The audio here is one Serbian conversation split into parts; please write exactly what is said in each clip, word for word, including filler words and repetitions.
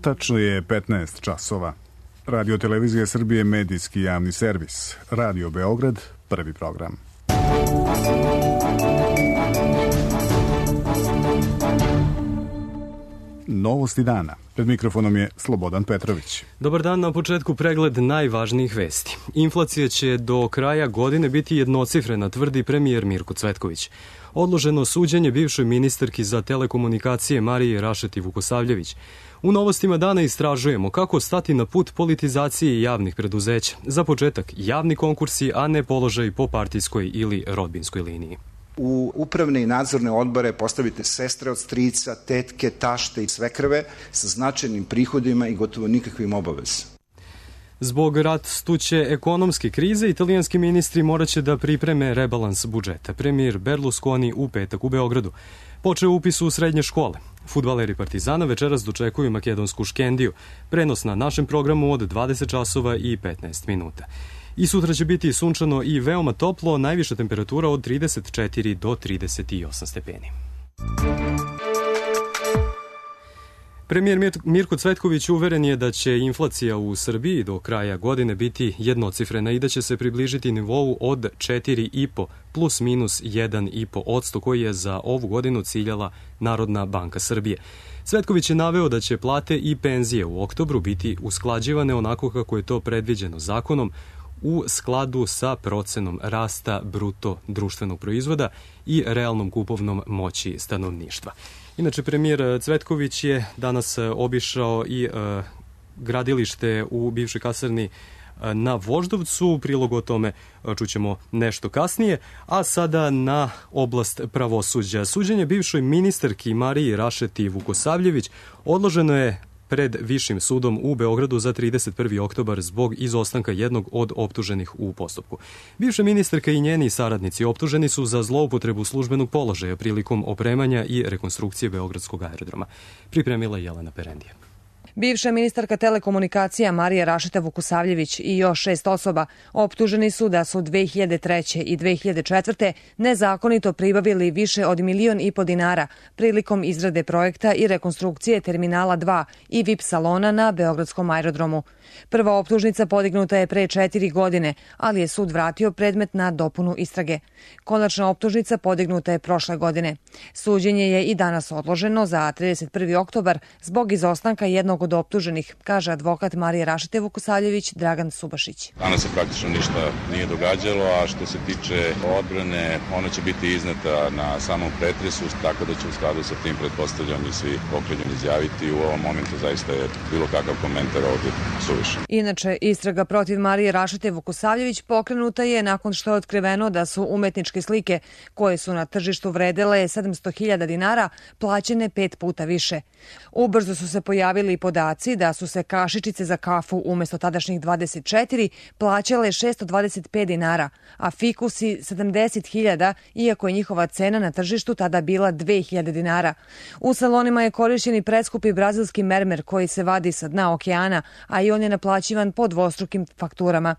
Tačno je petnaest časova. Radio Televizija Srbije, medijski javni servis. Radio Beograd, prvi program. Novosti dana. Pred mikrofonom je Slobodan Petrović. Dobar dan, na početku pregled najvažnijih vesti. Inflacija će do kraja godine biti jednocifrena, tvrdi premijer Mirko Cvetković. Odloženo suđenje bivšoj ministarki za telekomunikacije Marije Rašeti Vukosavljević. U novostima dana istražujemo kako stati na put politizacije javnih preduzeća. Za početak, javni konkursi, a ne položaj po partijskoj ili rodbinskoj liniji. U upravne i nadzorne odbore postavite sestre od strica, tetke, tašte i svekrve sa značajnim prihodima i gotovo nikakvim obavezama. Zbog rastuće ekonomske krize, italijanski ministri moraće da pripreme rebalans budžeta. Premijer Berlusconi u petak u Beogradu počeo upis u srednje škole. Fudbaleri Partizana večeras dočekuju makedonsku Škendiju. Prenos na našem programu od dvadeset časova i petnaest minuta. I sutra će biti sunčano i veoma toplo, najviša temperatura od trideset četiri do trideset osam stepeni. Premijer Mirko Cvetković uveren je da će inflacija u Srbiji do kraja godine biti jednocifrena i da će se približiti nivou od četiri i po plus minus jedan i po odsto koji je za ovu godinu ciljala Narodna banka Srbije. Cvetković je naveo da će plate i penzije u oktobru biti usklađivane onako kako je to predviđeno zakonom, u skladu sa procenom rasta bruto društvenog proizvoda i realnom kupovnom moći stanovništva. Inače, premijer Cvetković je danas obišao i e, gradilište u bivšoj kasarni na Voždovcu. Prilog o tome čućemo nešto kasnije. A sada na oblast pravosuđa. Suđenje bivšoj ministarki Mariji Rašeti Vukosavljević odloženo je pred Višim sudom u Beogradu za trideset prvi oktobar zbog izostanka jednog od optuženih u postupku. Bivša ministarka i njeni saradnici optuženi su za zloupotrebu službenog položaja prilikom opremanja i rekonstrukcije Beogradskog aerodroma. Pripremila Jelena Perendija. Bivša ministarka telekomunikacija Marija Rašeta Vukosavljević i još šest osoba optuženi su da su dve hiljade treće i dve hiljade četvrte nezakonito pribavili više od milion i po dinara prilikom izrade projekta i rekonstrukcije Terminala dva i V I P salona na Beogradskom aerodromu. Prva optužnica podignuta je pre četiri godine, ali je sud vratio predmet na dopunu istrage. Konačna optužnica podignuta je prošle godine. Suđenje je i danas odloženo za trideset prvi oktobar zbog izostanka jednog od optuženih, kaže advokat Marije Rašete Vukosavljević Dragan Subašić. Danas se praktično ništa nije događalo, a što se tiče odbrane, ona će biti izneta na samom pretresu, tako da će u skladu sa tim pretpostavljam i svi okrivljeni izjaviti. U ovom momentu zaista je bilo kakav komentar ovdje suvišan. Inače, istraga protiv Marije Rašete Vukosavljević pokrenuta je nakon što je otkriveno da su umetničke slike koje su na tržištu vredele sedamsto hiljada dinara plaćene pet puta više. Ubrzo su se pojavili i podaci da su se kašičice za kafu umesto tadašnjih dvadeset četiri plaćale šesto dvadeset pet dinara, a fikusi sedamdeset hiljada, iako je njihova cena na tržištu tada bila dve hiljade dinara. U salonima je korišćen i preskupi brazilski mermer koji se vadi sa dna okeana, a i on je naplaćivan po dvostrukim fakturama.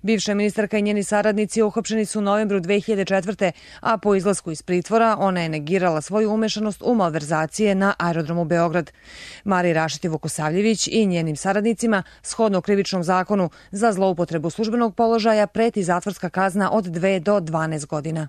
Bivša ministarka i njeni saradnici uhapšeni su u novembru dve hiljade četvrte, a po izlasku iz pritvora ona je negirala svoju umešanost u malverzacije na aerodromu Beograd. Mariji Rašeti Vukosavljević i njenim saradnicima, shodno krivičnom zakonu za zloupotrebu službenog položaja, preti zatvorska kazna od dve do dvanaest godina.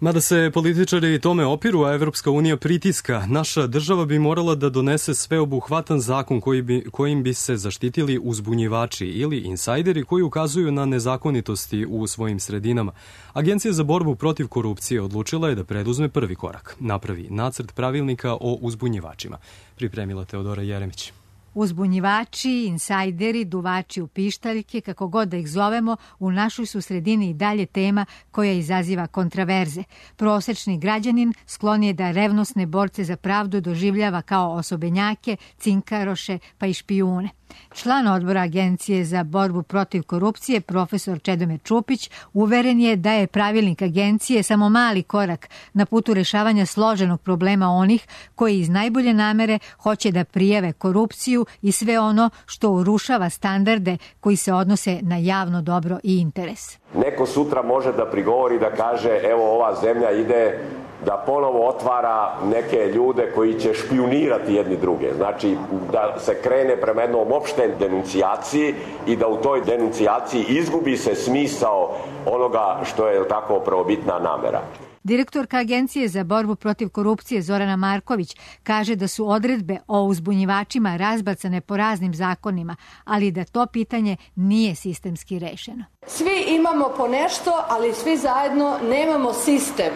Mada se političari tome opiru, a Evropska unija pritiska, naša država bi morala da donese sveobuhvatan zakon koji bi, kojim bi se zaštitili uzbunjivači ili insajderi koji ukazuju na nezakonitosti u svojim sredinama. Agencija za borbu protiv korupcije odlučila je da preduzme prvi korak, napravi nacrt pravilnika o uzbunjivačima. Pripremila Teodora Jeremić. Uzbunjivači, insajderi, duvači u pištaljke, kako god da ih zovemo, u našoj su sredini i dalje tema koja izaziva kontraverze. Prosečni građanin sklon je da revnosne borce za pravdu doživljava kao osobenjake, cinkaroše pa i špijune. Član odbora Agencije za borbu protiv korupcije, profesor Čedomir Čupić, uveren je da je pravilnik agencije samo mali korak na putu rešavanja složenog problema onih koji iz najbolje namere hoće da prijave korupciju i sve ono što urušava standarde koji se odnose na javno dobro i interes. Neko sutra može da prigovori da kaže evo ova zemlja ide da ponovo otvara neke ljude koji će špijunirati jedni druge. Znači da se krene prema jednom opštoj denuncijaciji i da u toj denuncijaciji izgubi se smisao onoga što je tako prvobitna namera. Direktorka Agencije za borbu protiv korupcije Zorana Marković kaže da su odredbe o uzbunjivačima razbacane po raznim zakonima, ali da to pitanje nije sistemski rešeno. Svi imamo po nešto, ali svi zajedno nemamo sistem.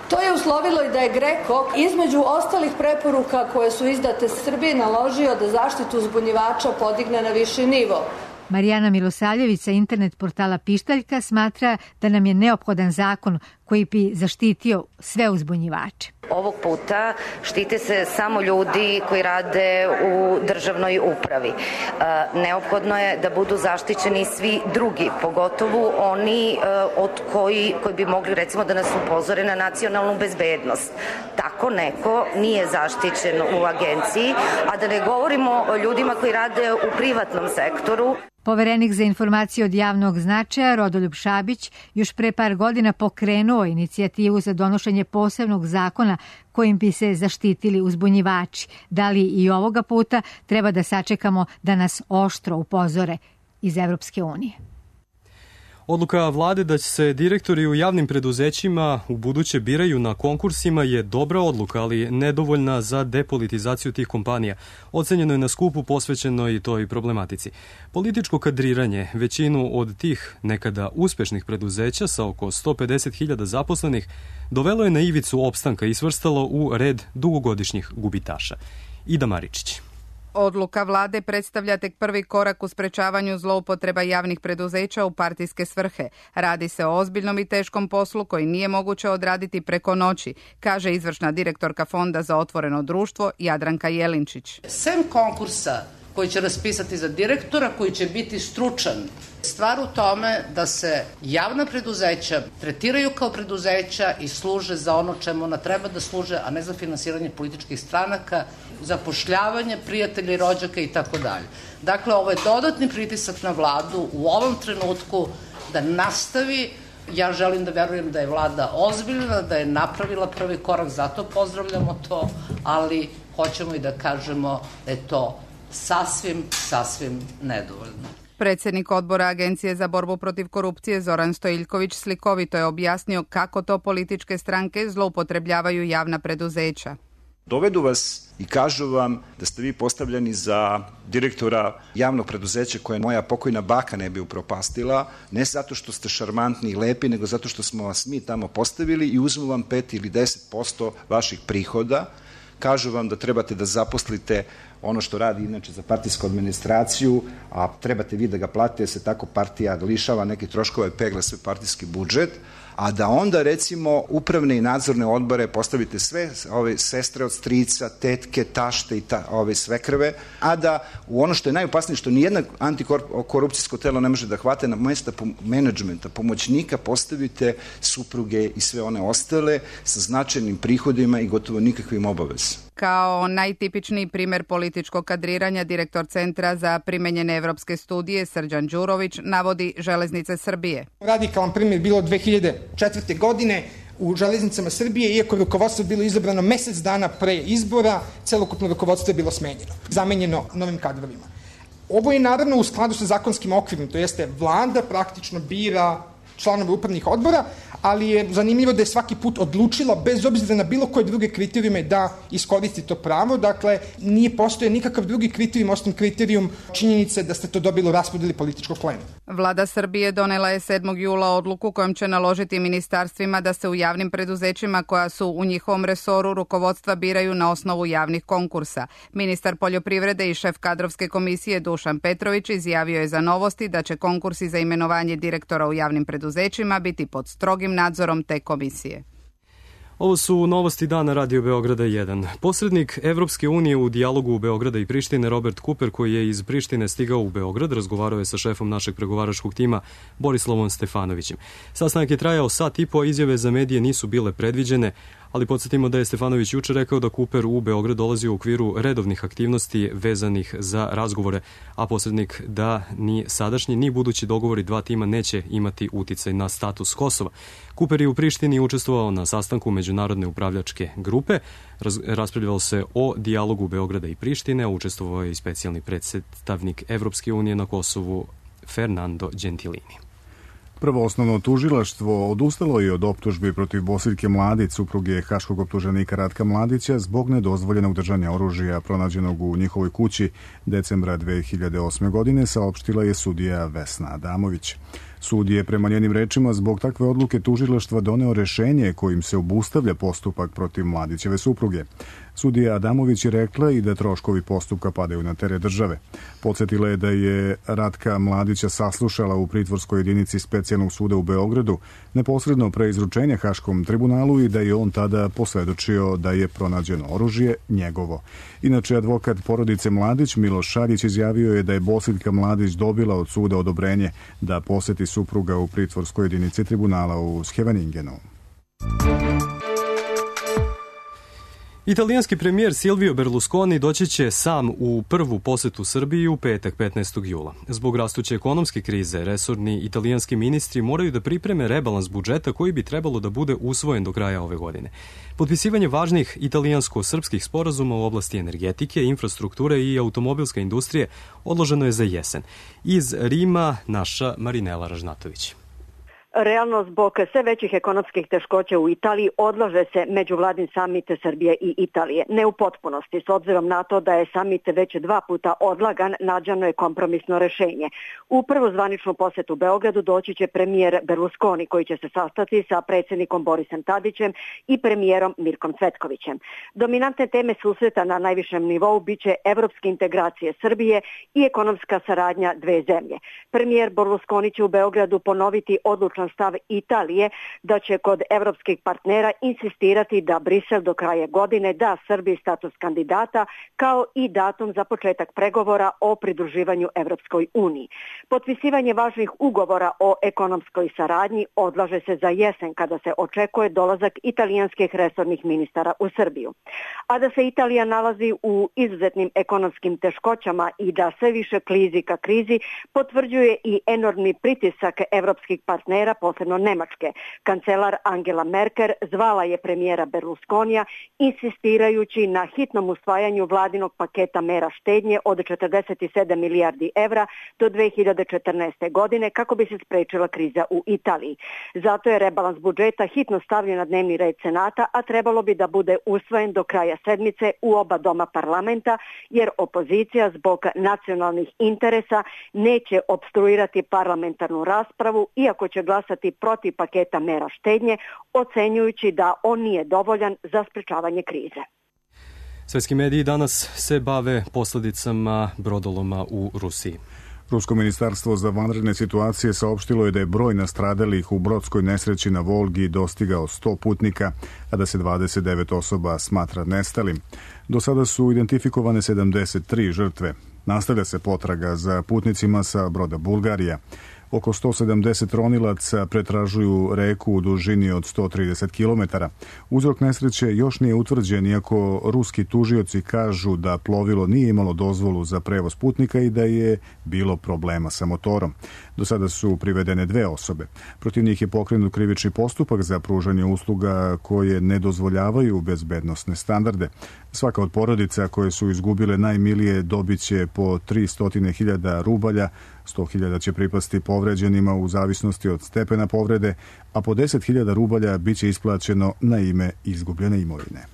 To je uslovilo i da je GREKO između ostalih preporuka koje su izdate Srbiji naložio da zaštitu uzbunjivača podigne na viši nivo. Marijana Milosavljević sa internet portala Pištaljka smatra da nam je neophodan zakon koji bi zaštitio sve uzbunjivače. Ovog puta štite se samo ljudi koji rade u državnoj upravi. Neophodno je da budu zaštićeni svi drugi, pogotovo oni od koji, koji bi mogli recimo da nas upozore na nacionalnu bezbednost. Tako neko nije zaštićen u agenciji, a da ne govorimo o ljudima koji rade u privatnom sektoru. Poverenik za informacije od javnog značaja Rodoljub Šabić još pre par godina pokrenuo inicijativu za donošenje posebnog zakona kojim bi se zaštitili uzbunjivači. Da li i ovoga puta treba da sačekamo da nas oštro upozore iz Evropske unije? Odluka vlade da će se direktori u javnim preduzećima u buduće biraju na konkursima je dobra odluka, ali nedovoljna za depolitizaciju tih kompanija. Ocenjeno je na skupu posvećeno i toj problematici. Političko kadriranje većinu od tih nekada uspešnih preduzeća sa oko sto pedeset hiljada zaposlenih dovelo je na ivicu opstanka i svrstalo u red dugogodišnjih gubitaša. Ida Maričić. Odluka vlade predstavlja tek prvi korak u sprečavanju zloupotreba javnih preduzeća u partijske svrhe. Radi se o ozbiljnom i teškom poslu koji nije moguće odraditi preko noći, kaže izvršna direktorka Fonda za otvoreno društvo Jadranka Jelinčić. Sem konkursa koji će raspisati za direktora, koji će biti stručan, stvar u tome da se javna preduzeća tretiraju kao preduzeća i služe za ono čemu ona treba da služe, a ne za finansiranje političkih stranaka, zapošljavanje prijatelja i rođaka i tako dalje. Dakle, ovo je dodatni pritisak na vladu u ovom trenutku da nastavi. Ja želim da verujem da je vlada ozbiljna, da je napravila prvi korak, zato pozdravljamo to, ali hoćemo i da kažemo da je to sasvim, sasvim nedovoljno. Predsjednik odbora Agencije za borbu protiv korupcije Zoran Stojiljković slikovito je objasnio kako to političke stranke zloupotrebljavaju javna preduzeća. Dovedu vas i kažu vam da ste vi postavljeni za direktora javnog preduzeća koje moja pokojna baka ne bi upropastila, ne zato što ste šarmantni i lepi, nego zato što smo vas mi tamo postavili i uzmu vam pet ili deset posto vaših prihoda. Kažu vam da trebate da zaposlite ono što radi inače za partijsku administraciju, a trebate vi da ga platite, jer se tako partija lišava nekih troškova i pegla sve partijski budžet, a da onda recimo upravne i nadzorne odbore postavite sve ove sestre od strica, tetke, tašte i ta, ove svekrve, a da u ono što je najopasnije, što nijedna antikorupcijsko telo ne može da hvate, na mesta menadžmenta, pomoćnika postavite supruge i sve one ostale sa značajnim prihodima i gotovo nikakvim obavezama. Kao najtipičniji primer političkog kadriranja, direktor Centra za primenjene evropske studije Srđan Đurović navodi Železnice Srbije. Radikalan primjer bilo dve hiljade četvrte. godine u Železnicama Srbije, iako je rukovodstvo bilo izabrano mesec dana pre izbora, celokupno rukovodstvo je bilo smenjeno, zamenjeno novim kadrovima. Ovo je naravno u skladu sa zakonskim okvirom, to jeste vlada praktično bira članove upravnih odbora, ali je zanimljivo da je svaki put odlučila, bez obzira na bilo koje druge kriterijume, da iskoristi to pravo. Dakle, nije postoje nikakav drugi kriterijum, osim kriterijum činjenice da ste to dobili u raspodeli političkog plena. Vlada Srbije donela je sedmog jula odluku kojom će naložiti ministarstvima da se u javnim preduzećima koja su u njihovom resoru rukovodstva biraju na osnovu javnih konkursa. Ministar poljoprivrede i šef kadrovske komisije Dušan Petrović izjavio je za Novosti da će konkursi za imenovanje direktora u javnim preduzećima biti pod strogim nadzorom te komisije. Ovo su novosti dana Radio Beograda jedan. Posrednik Evropske unije u dijalogu Beograda i Prištine Robert Cooper, koji je iz Prištine stigao u Beograd, razgovarao je sa šefom našeg pregovaračkog tima Borislavom Stefanovićem. Sastanak je trajao sat i po, izjave za medije nisu bile predviđene, ali podsjetimo da je Stefanović juče rekao da Kuper u Beograd dolazi u okviru redovnih aktivnosti vezanih za razgovore, a posrednik da ni sadašnji ni budući dogovori dva tima neće imati uticaj na status Kosova. Kuper je u Prištini učestvovao na sastanku međunarodne upravljačke grupe, Raz, raspravljalo se o dijalogu Beograda i Prištine, a učestvovao je i specijalni predstavnik Evropske unije na Kosovu Fernando Gentilini. Prvo osnovno tužilaštvo odustalo je od optužbi protiv Bosiljke Mladić, supruge haškog optuženika Ratka Mladića, zbog nedozvoljenog držanja oružja pronađenog u njihovoj kući decembra dve hiljade osme. godine, saopštila je sudija Vesna Adamović. Sud je prema njenim rečima zbog takve odluke tužilaštva doneo rešenje kojim se obustavlja postupak protiv Mladićeve supruge. Sudija Adamović je rekla i da troškovi postupka padaju na teret države. Podsjetila je da je Ratka Mladića saslušala u pritvorskoj jedinici Specijalnog suda u Beogradu neposredno pre izručenja Haškom tribunalu i da je on tada posvedočio da je pronađeno oružje njegovo. Inače, advokat porodice Mladić Miloš Šaljić izjavio je da je Bosiljka Mladić dobila od suda odobrenje da poseti supruga u pritvorskoj jedinici tribunala u Scheveningenu. Italijanski premijer Silvio Berlusconi doći će sam u prvu posetu Srbiji u petak petnaestog jula. Zbog rastuće ekonomske krize, resorni italijanski ministri moraju da pripreme rebalans budžeta koji bi trebalo da bude usvojen do kraja ove godine. Potpisivanje važnih italijansko-srpskih sporazuma u oblasti energetike, infrastrukture i automobilske industrije odloženo je za jesen. Iz Rima naša Marinela Ražnatović. Realno, zbog sve većih ekonomskih teškoća u Italiji odlaže se međuvladin samit Srbije i Italije. Ne u potpunosti, s obzirom na to da je samit već dva puta odlagan, nađeno je kompromisno rešenje. U prvu zvaničnu posetu Beogradu doći će premijer Berlusconi, koji će se sastati sa predsjednikom Borisom Tadićem i premijerom Mirkom Cvetkovićem. Dominantne teme susreta na najvišem nivou biće evropske integracije Srbije i ekonomska saradnja dve zemlje. Premijer Berlusconi će u Beogradu ponoviti odlučan stav Italije da će kod evropskih partnera insistirati da Brisel do kraja godine da Srbiji status kandidata kao i datum za početak pregovora o pridruživanju Evropskoj uniji. Potpisivanje važnih ugovora o ekonomskoj saradnji odlaže se za jesen kada se očekuje dolazak italijanskih resornih ministara u Srbiju. A da se Italija nalazi u izuzetnim ekonomskim teškoćama i da sve više klizi ka krizi, potvrđuje i enormni pritisak evropskih partnera, posebno Nemačke. Kancelar Angela Merkel zvala je premijera Berlusconija insistirajući na hitnom usvajanju vladinog paketa mera štednje od četrdeset sedam milijardi evra do dve hiljade četrnaeste. godine kako bi se sprečila kriza u Italiji. Zato je rebalans budžeta hitno stavljen na dnevni red Senata, a trebalo bi da bude usvojen do kraja sedmice u oba doma parlamenta, jer opozicija zbog nacionalnih interesa neće opstruirati parlamentarnu raspravu, iako će glasati protiv paketa mera štednje, ocenjujući da on nije dovoljan za sprečavanje krize. Svetski mediji danas se bave posledicama brodoloma u Rusiji. Rusko ministarstvo za vanredne situacije saopštilo je da je broj nastradalih u brodskoj nesreći na Volgi dostigao sto putnika, a da se dvadeset devet osoba smatra nestalim. Do sada su identifikovane sedamdeset tri žrtve. Nastavlja se potraga za putnicima sa broda Bulgarija. Oko sto sedamdeset ronilaca pretražuju reku u dužini od sto trideset kilometara. Uzrok nesreće još nije utvrđen, iako ruski tužioci kažu da plovilo nije imalo dozvolu za prevoz putnika i da je bilo problema sa motorom. Do sada su privedene dve osobe. Protiv njih je pokrenut krivični postupak za pružanje usluga koje ne dozvoljavaju bezbednosne standarde. Svaka od porodica koje su izgubile najmilije dobit će po tristo hiljada rubalja, sto hiljada će pripasti povređenima u zavisnosti od stepena povrede, a po deset hiljada rubalja biće isplaćeno na ime izgubljene imovine.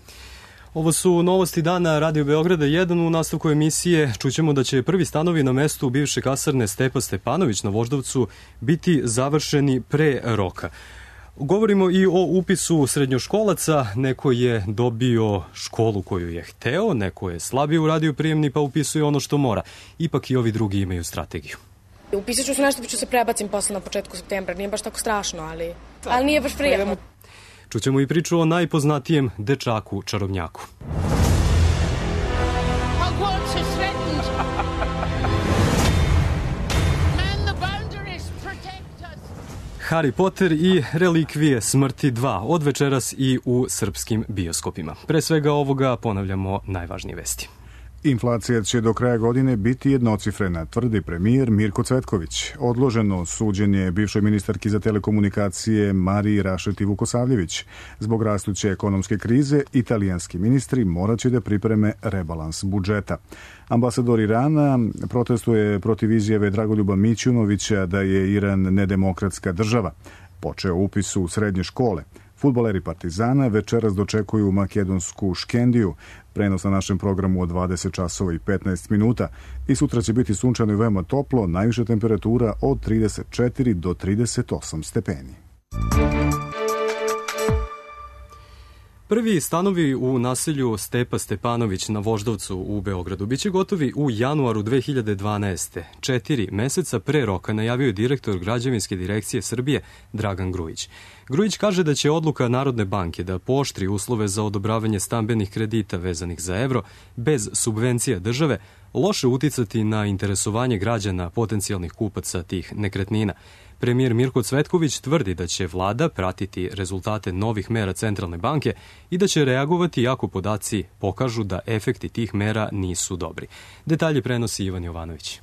Ovo su novosti dana Radio Beograda jedan. U nastavku emisije čućemo da će prvi stanovi na mestu bivše kasarne Stepa Stepanović na Voždovcu biti završeni pre roka. Govorimo i o upisu srednjoškolaca. Neko je dobio školu koju je hteo, neko je slabije uradio prijemni pa upisuje ono što mora. Ipak i ovi drugi imaju strategiju. Upisat ću se nešto pa ću se prebacim posle na početku septembra. Nije baš tako strašno, ali, ali nije baš prijatno. Čućemo i priču o najpoznatijem dečaku čarobnjaku. Harry Potter i Relikvije smrti dva od večeras i u srpskim bioskopima. Pre svega ovoga ponavljamo najvažnije vesti. Inflacija će do kraja godine biti jednocifrena, tvrdi premijer Mirko Cvetković. Odloženo suđenje bivšoj ministarki za telekomunikacije Mariji Rašeti Vukosavljević. Zbog rastuće ekonomske krize, italijanski ministri moraće da pripreme rebalans budžeta. Ambasador Irana protestuje protiv izjave Dragoljuba Mićunovića da je Iran nedemokratska država. Počeo upis u srednje škole. Fudbaleri Partizana večeras dočekuju makedonsku Škendiju, prenos na našem programu od dvadeset časova i petnaest minuta i sutra će biti sunčano i veoma toplo, najviša temperatura od trideset četiri do trideset osam stepeni. Prvi stanovi u naselju Stepa Stepanović na Voždovcu u Beogradu biće gotovi u januaru dve hiljade dvanaeste. Četiri meseca pre roka najavio je direktor Građevinske direkcije Srbije Dragan Grujić. Grujić kaže da će odluka Narodne banke da pooštri uslove za odobravanje stambenih kredita vezanih za evro bez subvencija države loše uticati na interesovanje građana potencijalnih kupaca tih nekretnina. Premijer Mirko Cvetković tvrdi da će vlada pratiti rezultate novih mera Centralne banke i da će reagovati ako podaci pokažu da efekti tih mera nisu dobri. Detalje prenosi Ivan Jovanović.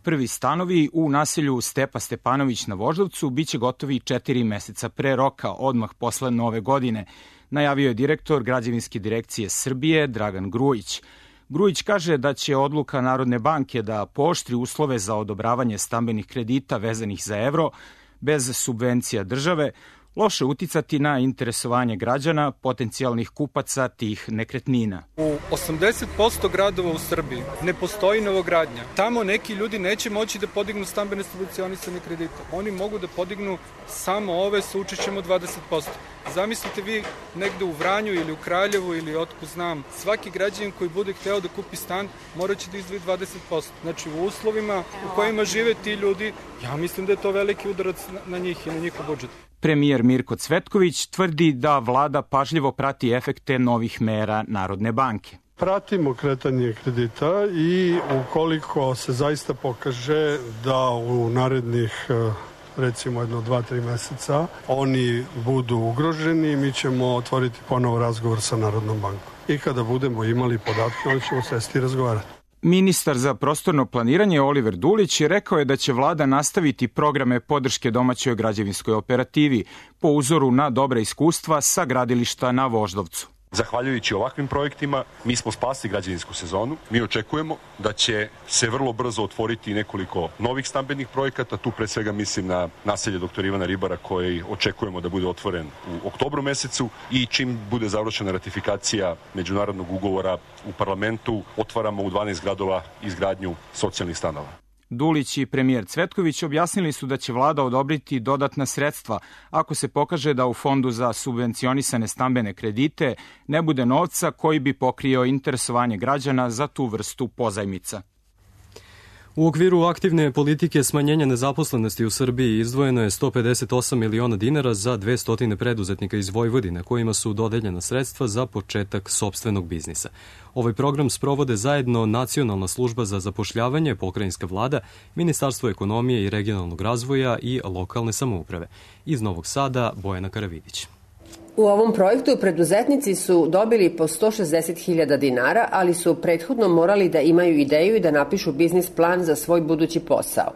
Prvi stanovi u naselju Stepa Stepanović na Voždovcu biće gotovi četiri meseca pre roka, odmah posle nove godine, najavio je direktor Građevinske direkcije Srbije Dragan Grujić. Grujić kaže da će odluka Narodne banke da pooštri uslove za odobravanje stambenih kredita vezanih za evro bez subvencija države loše uticati na interesovanje građana, potencijalnih kupaca tih nekretnina. U osamdeset posto gradova u Srbiji ne postoji novogradnja. Tamo neki ljudi neće moći da podignu stambene subvencionisane kredite. Oni mogu da podignu samo ove sa učešćem od dvadeset posto. Zamislite vi negde u Vranju ili u Kraljevu ili otkud znam, svaki građanin koji bude hteo da kupi stan moraće da izdvoji dvadeset posto. Znači u uslovima u kojima žive ti ljudi, ja mislim da je to veliki udarac na njih i na njihov budžet. Premijer Mirko Cvetković tvrdi da vlada pažljivo prati efekte novih mera Narodne banke. Pratimo kretanje kredita i ukoliko se zaista pokaže da u narednih recimo jedno dva, tri meseca oni budu ugroženi, mi ćemo otvoriti ponovo razgovor sa Narodnom bankom. I kada budemo imali podatke, onda ćemo sesti i razgovarati. Ministar za prostorno planiranje Oliver Dulić je rekao je da će vlada nastaviti programe podrške domaćoj građevinskoj operativi po uzoru na dobra iskustva sa gradilišta na Voždovcu. Zahvaljujući ovakvim projektima, mi smo spasili građevinsku sezonu. Mi očekujemo da će se vrlo brzo otvoriti nekoliko novih stambenih projekata. Tu pre svega mislim na naselje doktor Ivana Ribara koji očekujemo da bude otvoren u oktobru mesecu i čim bude završena ratifikacija međunarodnog ugovora u parlamentu, otvaramo u dvanaest gradova izgradnju socijalnih stanova. Dulić i premijer Cvetković objasnili su da će vlada odobriti dodatna sredstva ako se pokaže da u Fondu za subvencionisane stambene kredite ne bude novca koji bi pokrio interesovanje građana za tu vrstu pozajmica. U okviru aktivne politike smanjenja nezaposlenosti u Srbiji izdvojeno je sto pedeset osam miliona dinara za dvesta preduzetnika iz Vojvodine kojima su dodeljena sredstva za početak sopstvenog biznisa. Ovaj program sprovode zajedno Nacionalna služba za zapošljavanje, pokrajinska vlada, Ministarstvo ekonomije i regionalnog razvoja i lokalne samouprave. Iz Novog Sada, Bojana Karavidić. U ovom projektu preduzetnici su dobili po sto šezdeset hiljada dinara, ali su prethodno morali da imaju ideju i da napišu biznis plan za svoj budući posao.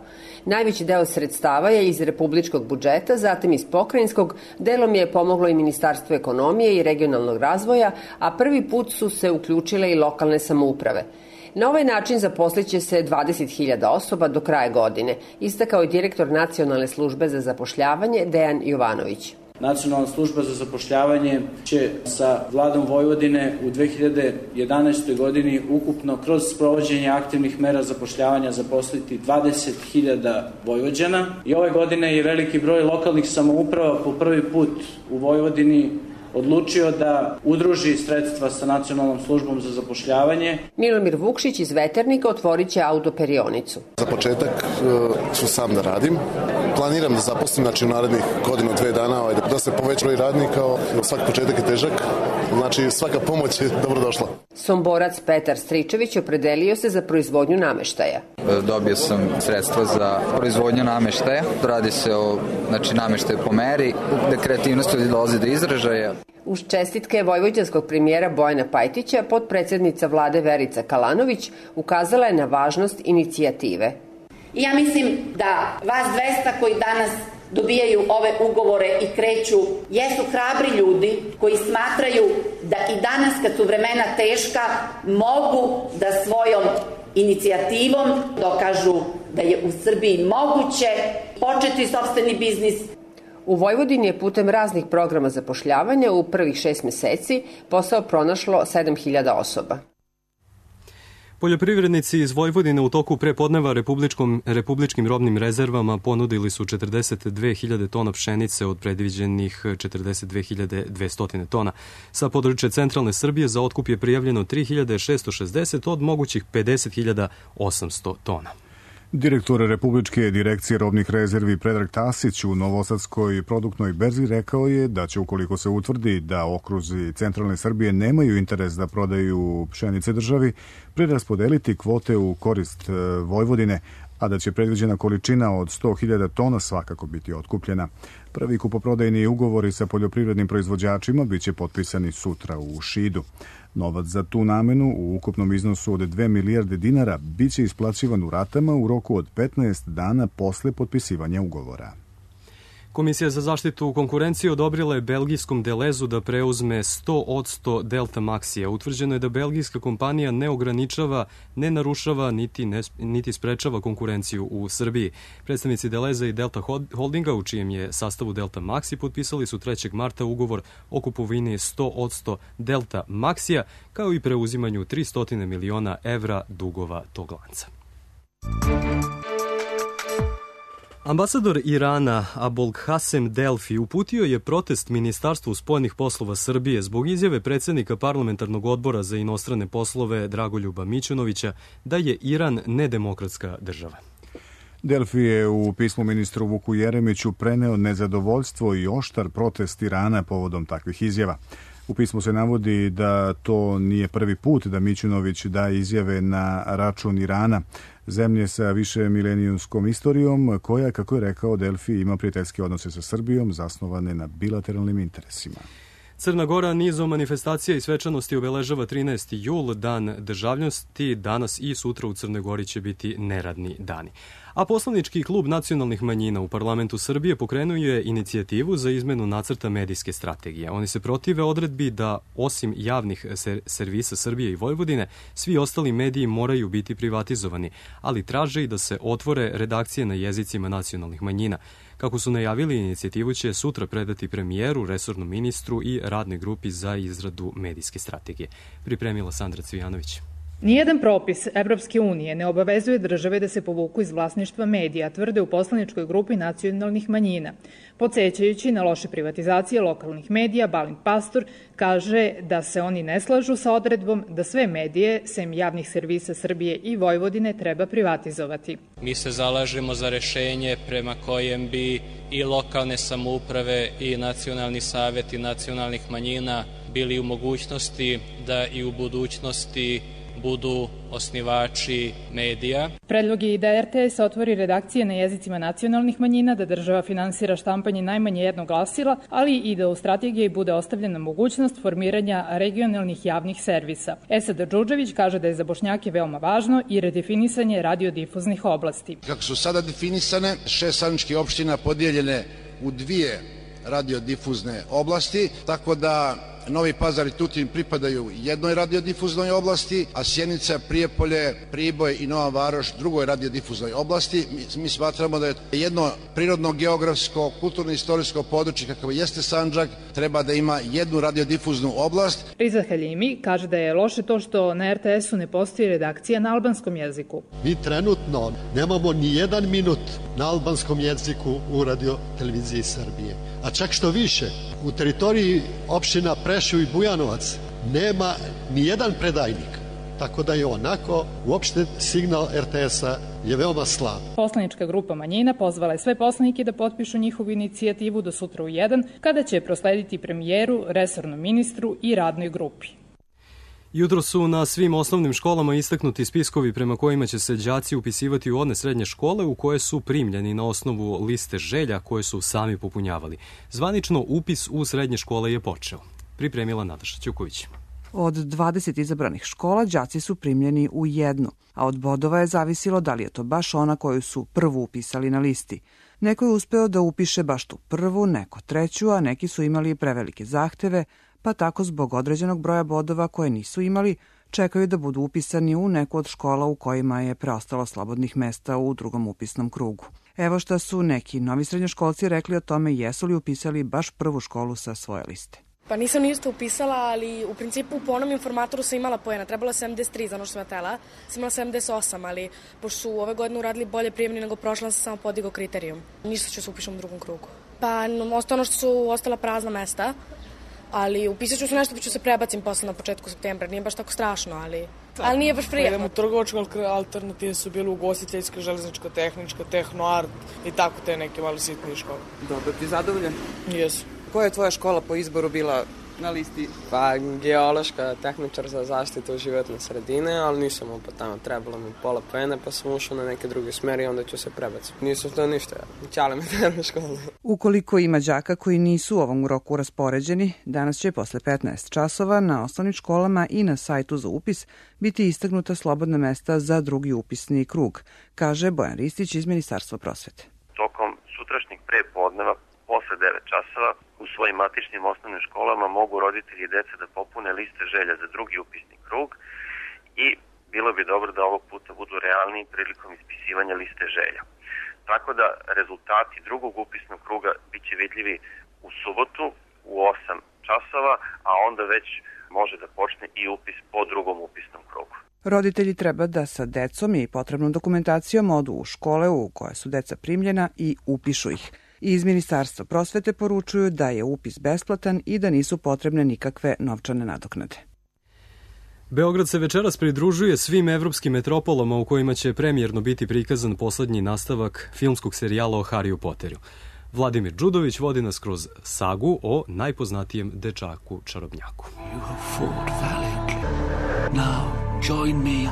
Najveći deo sredstava je iz republičkog budžeta, zatim iz pokrajinskog, delom je pomoglo i Ministarstvo ekonomije i regionalnog razvoja, a prvi put su se uključile i lokalne samouprave. Na ovaj način zaposliće se dvadeset hiljada osoba do kraja godine, istakao je direktor Nacionalne službe za zapošljavanje Dejan Jovanović. Nacionalna služba za zapošljavanje će sa vladom Vojvodine u dve hiljade jedanaestoj godini ukupno kroz sprovođenje aktivnih mera zapošljavanja zaposliti dvadeset hiljada Vojvođana. I ove godine je veliki broj lokalnih samouprava po prvi put u Vojvodini odlučio da udruži sredstva sa Nacionalnom službom za zapošljavanje. Milomir Vukšić iz Veternika otvorit će autoperionicu. Za početak ću sam da radim. Planiram da zaposlim, znači u narednih godinu, dve dana, da se poveća broj radnika, svaki početak je težak, znači svaka pomoć je dobrodošla. Somborac Petar Stričević opredelio se za proizvodnju nameštaja. Dobio sam sredstva za proizvodnju nameštaja. Radi se o znači, nameštaju po meri, gde kreativnost dolazi do izražaja. Uz čestitke vojvođanskog premijera Bojana Pajtića, potpredsednica vlade Verica Kalanović ukazala je na važnost inicijative. Ja mislim da vas dvesta koji danas dobijaju ove ugovore i kreću, jesu hrabri ljudi koji smatraju da i danas kad su vremena teška mogu da svojom inicijativom dokažu da je u Srbiji moguće početi sopstveni biznis. U Vojvodini je putem raznih programa zapošljavanja u prvih šest meseci posao pronašlo sedam hiljada osoba. Poljoprivrednici iz Vojvodine u toku prepodneva republičkom, republičkim robnim rezervama ponudili su četrdeset dve hiljade tona pšenice od predviđenih četrdeset dve hiljade dvesta tona. Sa područja centralne Srbije za otkup je prijavljeno tri hiljade šesto šezdeset od mogućih pedeset hiljada osamsto tona. Direktor Republičke direkcije robnih rezervi Predrag Tasić u Novosadskoj produktnoj berzi rekao je da će, ukoliko se utvrdi da okruzi centralne Srbije nemaju interes da prodaju pšenice državi, preraspodeliti kvote u korist Vojvodine, a da će predviđena količina od sto hiljada tona svakako biti otkupljena. Prvi kupoprodajni ugovori sa poljoprivrednim proizvođačima biće potpisani sutra u Šidu. Novac za tu namenu u ukupnom iznosu od dve milijarde dinara biće isplaćivan u ratama u roku od petnaest dana posle potpisivanja ugovora. Komisija za zaštitu konkurencije odobrila je belgijskom Delezu da preuzme sto posto Delta Maxija. Utvrđeno je da belgijska kompanija ne ograničava, ne narušava niti, ne, niti sprečava konkurenciju u Srbiji. Predstavnici Deleza i Delta Holdinga, u čijem je sastavu Delta Maxi, potpisali su trećeg marta ugovor o kupovini sto posto Delta Maxija, kao i preuzimanju tristo miliona evra dugova tog lanca. Ambasador Irana Abolghasem Delfi uputio je protest Ministarstvu spoljnih poslova Srbije zbog izjave predsednika parlamentarnog odbora za inostrane poslove Dragoljuba Mićunovića da je Iran nedemokratska država. Delfi je u pismu ministru Vuku Jeremiću preneo nezadovoljstvo i oštar protest Irana povodom takvih izjava. U pismu se navodi da to nije prvi put da Mićunović daje izjave na račun Irana, zemlje sa više milenijumskom istorijom, koja, kako je rekao Delfi, ima prijateljske odnose sa Srbijom zasnovane na bilateralnim interesima. Crna Gora nizom manifestacija i svečanosti obeležava trinaesti jul, dan državnosti. Danas i sutra u Crnoj Gori će biti neradni dani. A poslanički klub nacionalnih manjina u parlamentu Srbije pokrenuo je inicijativu za izmenu nacrta medijske strategije. Oni se protive odredbi da, osim javnih servisa Srbije i Vojvodine, svi ostali mediji moraju biti privatizovani, ali traže i da se otvore redakcije na jezicima nacionalnih manjina. Kako su najavili, inicijativu će sutra predati premijeru, resornom ministru i radnoj grupi za izradu medijske strategije. Pripremila Sandra Cvijanović. Nijedan propis Evropske unije ne obavezuje države da se povuku iz vlasništva medija, tvrde u poslaničkoj grupi nacionalnih manjina. Podsećajući na loše privatizacije lokalnih medija, Balint Pastor kaže da se oni ne slažu sa odredbom da sve medije, sem javnih servisa Srbije i Vojvodine, treba privatizovati. Mi se zalažemo za rešenje prema kojem bi i lokalne samouprave i nacionalni saveti nacionalnih manjina bili u mogućnosti da i u budućnosti budu osnivači medija. Predlog je i da er te es otvori redakcije na jezicima nacionalnih manjina, da država finansira štampanje najmanje jednog glasila, ali i da u strategiji bude ostavljena mogućnost formiranja regionalnih javnih servisa. Esad Džudžević kaže da je za Bošnjake veoma važno i redefinisanje radiodifuznih oblasti. Kako su sada definisane, šest sandžačkih opština podijeljene u dvije radiodifuzne oblasti, tako da Novi Pazar i Tutin pripadaju jednoj radiodifuznoj oblasti, a Sjenica, Prijepolje, Priboj i Nova Varoš drugoj radiodifuznoj oblasti. Mi, mi smatramo da je jedno prirodno, geografsko, kulturno-istorijsko područje kakvo jeste Sandžak, treba da ima jednu radiodifuznu oblast. Riza Haljimi kaže da je loše to što na er te esu ne postoji redakcija na albanskom jeziku. Mi trenutno nemamo ni jedan minut na albanskom jeziku u radioteleviziji Srbije. A čak što više, u teritoriji opština Preševo i Bujanovac nema ni jedan predajnik, tako da je onako uopšte signal er te esa je veoma slab. Poslanička grupa Manjina pozvala je sve poslanike da potpišu njihovu inicijativu do sutra u jedan, kada će proslediti premijeru, resornom ministru i radnoj grupi. Jutro su na svim osnovnim školama istaknuti spiskovi prema kojima će se đaci upisivati u one srednje škole u koje su primljeni na osnovu liste želja koje su sami popunjavali. Zvanično upis u srednje škole je počeo. Pripremila Nataša Ćuković. Od dvadeset izabranih škola đaci su primljeni u jednu, a od bodova je zavisilo da li je to baš ona koju su prvu upisali na listi. Neko je uspeo da upiše baš tu prvu, neko treću, a neki su imali prevelike zahteve, pa tako zbog određenog broja bodova koje nisu imali, čekaju da budu upisani u neku od škola u kojima je preostalo slobodnih mesta u drugom upisnom krugu. Evo šta su neki novi srednjoškolci rekli o tome jesu li upisali baš prvu školu sa svoje liste. Pa nisam ništa upisala, ali u principu po onom informatoru sam imala poena. Trebalo sedamdeset tri za ono što sam ja tela. Sam imala sedamdeset osam, ali pošto su ove godine uradili bolje prijemni nego prošla, sam samo podigao kriterijum. Ništa ću se upišem u drugom krugu. Pa ostalo što su ostala prazna mesta, ali upisat ću se nešto pa ću se prebacim posle na početku septembra. Nije baš tako strašno, ali, ali nije baš prijatno. Idemo u trgovačke, alternative su bile ugostiteljska, železnička, tehnička, tehnoart i tako te neke malo sitnije škole. Dobro, ti zadovoljan? Jesu. Koja je tvoja škola po izboru bila na listi? Pa geološka, tehničar za zaštitu životne sredine, ali nisam opet tamo, trebalo mi pola poena pa sam ušao na neke druge smeri i onda ću se prebaciti. Nisam to ništa, ćale me treba školu. Ukoliko ima đaka koji nisu u ovom roku raspoređeni, danas će posle petnaest časova na osnovnim školama i na sajtu za upis biti istaknuta slobodna mesta za drugi upisni krug, kaže Bojan Ristić iz Ministarstva prosvete. Tokom sutrašnjeg prepodneva posle devet časova u svojim matičnim osnovnim školama mogu roditelji i deca da popune liste želja za drugi upisni krug i bilo bi dobro da ovog puta budu realniji prilikom ispisivanja liste želja. Tako da rezultati drugog upisnog kruga bit će vidljivi u subotu u osam časova, a onda već može da počne i upis po drugom upisnom krugu. Roditelji treba da sa decom i potrebnom dokumentacijom odu u škole u koje su deca primljena i upišu ih. Iz Ministarstva prosvete poručuju da je upis besplatan i da nisu potrebne nikakve novčane nadoknade. Beograd se večeras pridružuje svim evropskim metropolama u kojima će premijerno biti prikazan poslednji nastavak filmskog serijala o Harryu Potteru. Vladimir Đudović vodi nas kroz sagu o najpoznatijem dečaku čarobnjaku. You have fought valiantly. Now join me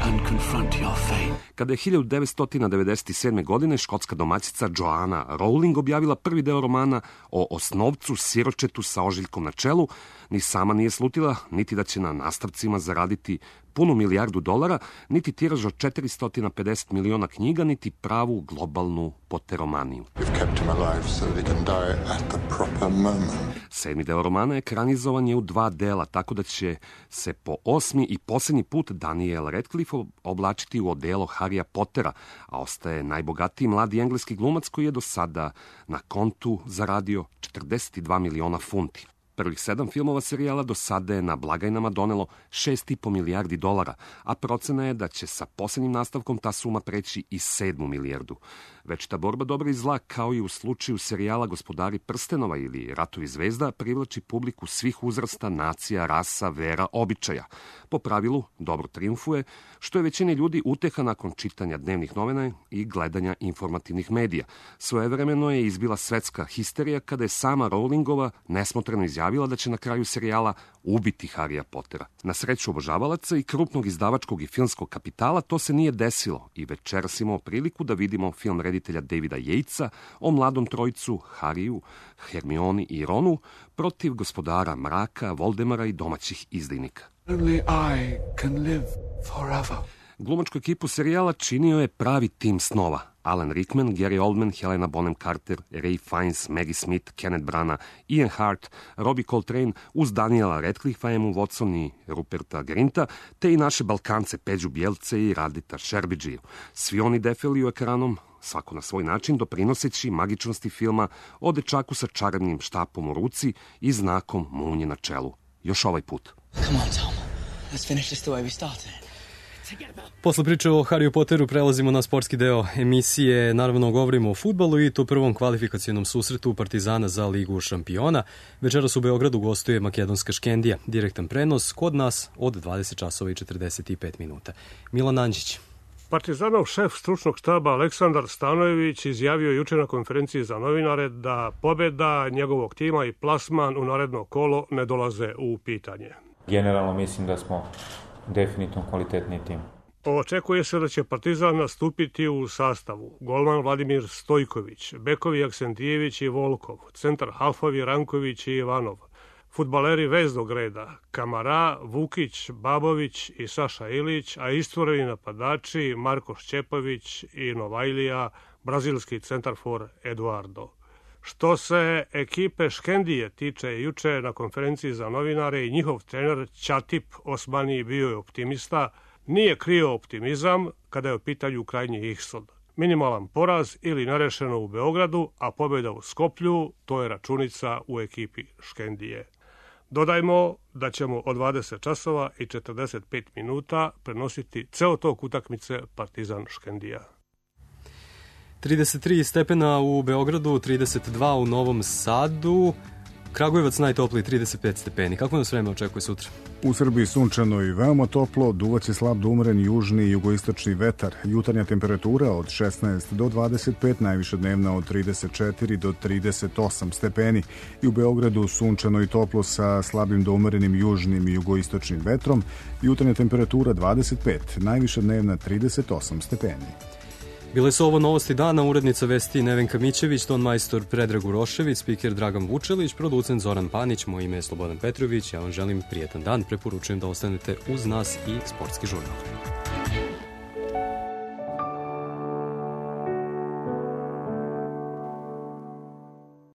and confront your fate. Kada je hiljadu devetsto devedeset sedme. godine škotska domaćica Joanna Rowling objavila prvi deo romana o osnovcu siročetu sa ožiljkom na čelu, ni sama nije slutila, niti da će na nastavcima zaraditi punu milijardu dolara, niti tiraž od četiristo pedeset miliona knjiga, niti pravu globalnu potteromaniju. Sedmi deo romana ekranizovan je u dva dela, tako da će se po osmi i poslednji put Daniel Radcliffe oblačiti u odelo Harrya Pottera, a ostaje najbogatiji mladi engleski glumac koji je do sada na kontu zaradio četrdeset dva miliona funti. Prvih sedam filmova serijala do sada je na blagajnama donelo šest i po milijardi dolara, a procena je da će sa poslednjim nastavkom ta suma preći i sedmu milijardu. Već ta borba dobra i zla, kao i u slučaju serijala Gospodari prstenova ili Ratovi zvezda, privlači publiku svih uzrasta, nacija, rasa, vera, običaja. Po pravilu, dobro triumfuje, što je većini ljudi uteha nakon čitanja dnevnih novina i gledanja informativnih medija. Svojevremeno je izbila svetska histerija kada je sama Rowlingova nesmotreno izjavila da će na kraju serijala ubiti Harrya Pottera. Na sreću obožavalaca i krupnog izdavačkog i filmskog kapitala to se nije desilo i večeras imamo priliku da vidimo film reditelja Davida Yatesa o mladom trojcu Harryu, Hermioni i Ronu protiv gospodara mraka, Voldemara i domaćih izdajnika. Only I can live forever. Glumačku ekipu serijala činio je pravi tim snova. Alan Rickman, Gary Oldman, Helena Bonham Carter, Ray Fiennes, Maggie Smith, Kenneth Branagh, Ian Hart, Robbie Coltrane, uz Daniela Radcliffe, Emmu Watson i Ruperta Grinta, te i naše Balkance Peđu Bjelce i Radita Šerbidžiju. Svi oni defiliju ekranom, svako na svoj način, doprinoseći magičnosti filma o dečaku sa čarobnim štapom u ruci i znakom munje na čelu. Još ovaj put. Come on, Tom. Let's finish this the way we started. Posle priče o Harryu Potteru prelazimo na sportski deo emisije. Naravno, govorimo o fudbalu i to prvom kvalifikacionom susretu Partizana za Ligu šampiona. Večeras u Beogradu gostuje makedonska Škendija. Direktan prenos kod nas od dvadeset časova i četrdeset pet minuta. Milan Anđić. Partizanov šef stručnog štaba Aleksandar Stanojević izjavio juče na konferenciji za novinare da pobeda njegovog tima i plasman u naredno kolo ne dolaze u pitanje. Generalno mislim da smo definitivno kvalitetni tim. Očekuje se da će Partizan nastupiti u sastavu golman Vladimir Stojković, bekovi Aksentijević i Volkov, centar halfovi Ranković i Ivanov, fudbaleri veznog reda Kamara, Vukić, Babović i Saša Ilić, a istvoreni napadači Marko Šćepović i Novajlija, brazilski centarfor Eduardo. Što se ekipe Škendije tiče, juče na konferenciji za novinare i njihov trener Ćatip Osmani bio je optimista, nije krio optimizam kada je u pitanju krajnji ishod. Minimalan poraz ili nerešeno u Beogradu, a pobjeda u Skoplju, to je računica u ekipi Škendije. Dodajmo da ćemo od dvadeset časova i četrdeset pet minuta prenositi ceo tok utakmice Partizan Škendija. trideset tri stepena u Beogradu, trideset dva u Novom Sadu, Kragujevac najtopliji trideset pet stepeni. Kako nas vreme očekuje sutra? U Srbiji sunčano i veoma toplo, duvaće slab do umeren južni i jugoistočni vetar. Jutarnja temperatura od šesnaest do dvadeset pet, najviša dnevna od trideset četiri do trideset osam stepeni. I u Beogradu sunčano i toplo sa slabim do umerenim južnim i jugoistočnim vetrom. Jutarnja temperatura dvadeset pet, najviša dnevna trideset osam stepeni. Bile su ovo novosti dana, urednica vesti Nevenka Mićević, ton majstor Predrag Urošević, spiker Dragan Vučelić, producent Zoran Panić, moje ime je Slobodan Petrović. Ja vam želim prijetan dan, preporučujem da ostanete uz nas i sportski žurnal.